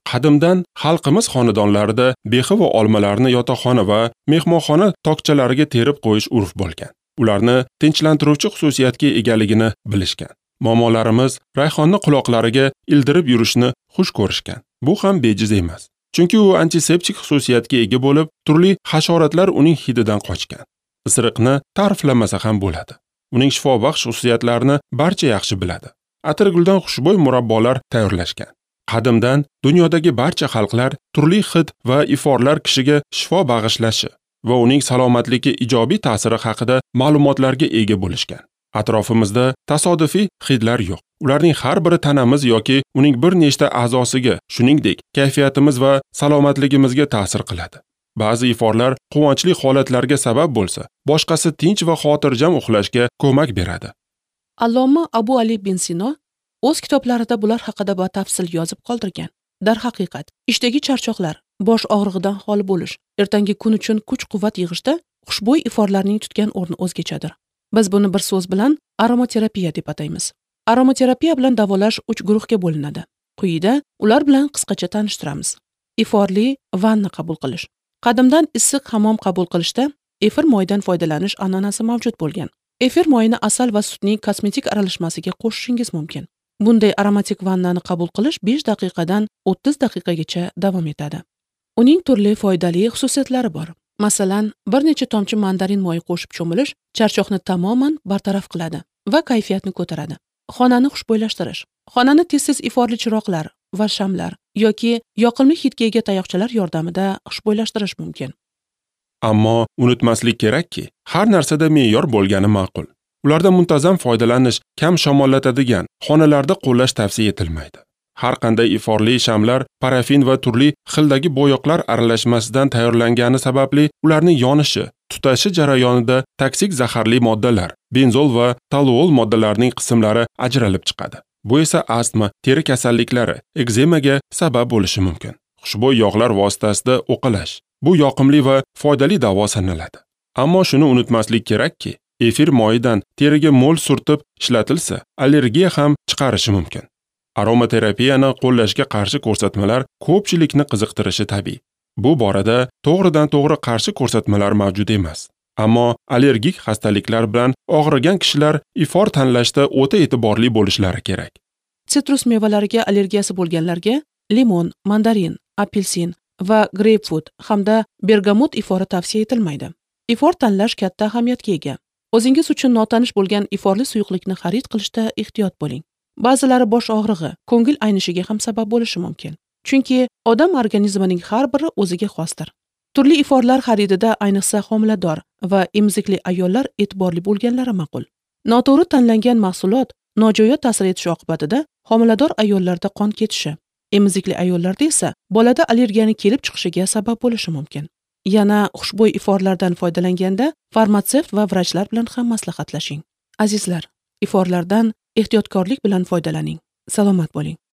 Qadimdan xalqimiz xonadonlarida behi va olmalarni yotoqxona va mehmonxona tokchalariga terib qo'yish urf bo'lgan. Ularni tinchlantiruvchi xususiyatga egaligini bilishgan. Momolarimiz rayhonni quloqlariga ildirib yurishni xush ko'rishgan. Bu ham bejiz emas. Chunki u antiseptik xususiyatga ega bo'lib, turli hasharotlar uning hididan qochgan. Isiriqni ta'riflamasa ham bo'ladi. Uning shifobaxsh xususiyatlarini barcha yaxshi biladi. Atirguldan xushbo'y murabbolar tayyorlashgan. Qadimdan dunyodagi barcha xalqlar turli hid va iforlar kishiga shifo bag'ishlashi va uning salomatligiga ijobiy ta'siri haqida ma'lumotlarga ega bo'lishgan. Atrofimizda tasodifiy hidlar yo'q. Ularning har biri tanamiz yoki uning bir nechta a'zosiga, shuningdek, kayfiyatimiz va salomatligimizga ta'sir qiladi. Ba'zi iforlar quvonchli holatlarga sabab bo'lsa, boshqasi tinch va xotirjam uxlashga ko'mak beradi. Alloma Abu Ali bin Sino o'z kitoblarida bular haqida batafsil yozib qoldirgan. Darhaqiqat, ishdagi charchoqlar, bosh og'rig'idan xoli bo'lish, ertangi kun uchun kuch-quvvat yig'ishda xushbo'y iforlarning tutgan o'rni o'zgachadir. Biz buni bir so'z bilan aromaterapiya deb ataymiz. Aromaterapiya bilan davolash 3 guruhga bo'linadi. Quyida ular bilan qisqacha tanishtiramiz. Iforli vanna qabul qilish. Qadimdan issiq hammom qabul qilishda efir moyidan foydalanish an'anasi mavjud bo'lgan. Efir moyini asal va sutning kosmetik aralashmasiga qo'shishingiz mumkin. Bunday aromatik vannani qabul qilish 5 daqiqadan 30 daqiqagacha davom etadi. Uning turli foydali xususiyatlari bor. Masalan, bir necha tomchi mandarin moyi qo'shib cho'milish charchoqni tamoman bartaraf qiladi va kayfiyatni ko'taradi. Xonani xushbo'ylashtirish. Xonani tez-tez iforli chiroqlar va shamlar yoki yoqimli hidga ega tayoqchalar yordamida xushbo'ylashtirish mumkin. Ammo unutmaslik kerakki, har narsada me'yor bo'lgani ma'qul. Ulardan muntazam foydalanish kam shamollatadigan xonalarda qo'llash tavsiya etilmaydi. Har qanday iforli shamlar parafin va turli xildagi bo'yoqlar aralashmasidan tayyorlangani sababli ularning yonishi, tutashi jarayonida toksik zaharli moddalar, benzol va toluol moddalarining qismlari ajralib chiqadi. Bu esa astma, teri kasalliklari, ekzemaga sabab bo'lishi mumkin. Xushbo'y yog'lar vositasida o'qalash bu yoqimli va foydali davo sanaladi. Ammo shuni unutmaslik kerakki, efir moyidan teriga mo'l surtib ishlatilsa, allergiya ham chiqarishi mumkin. Aromaterapiyani qo'llashga qarshi ko'rsatmalar ko'pchilikni qiziqtirishi tabiiy. Bu borada to'g'ridan-to'g'ri qarshi ko'rsatmalar mavjud emas. Ammo allergik xastaliklar bilan og'rigan kishilar ifor tanlashda o'ta e'tiborli bo'lishlari kerak. Sitrus mevalariga allergiyasi bo'lganlarga limon, mandarin, apelsin va greypfrut hamda bergamot ifori tavsiya etilmaydi. Ifor tanlash katta ahamiyatga ega. O'zingiz uchun notanish bo'lgan iforli suyuqlikni xarid qilishda ehtiyot bo'ling. Ba'zilari bosh og'rig'i, ko'ngil aynishiga ham sabab bo'lishi mumkin. Chunki odam organizmining har biri o'ziga xosdir. Turli iforlar xaridida ayniqsa homilador va emizikli ayollar e'tiborli bo'lganlari ma'qul. Noto'g'ri tanlangan mahsulot nojo'ya ta'sir etishi oqibatida homilador ayollarda qon ketishi, emizikli ayollarda esa bolada allergiyaning kelib chiqishiga sabab bo'lishi mumkin. Yana xushbo'y iforlardan foydalanganda farmatsevt va vrachlar bilan ham maslahatlashing. Azizlar, iforlardan ehtiyotkorlik bilan foydalaning. Salomat bo'ling.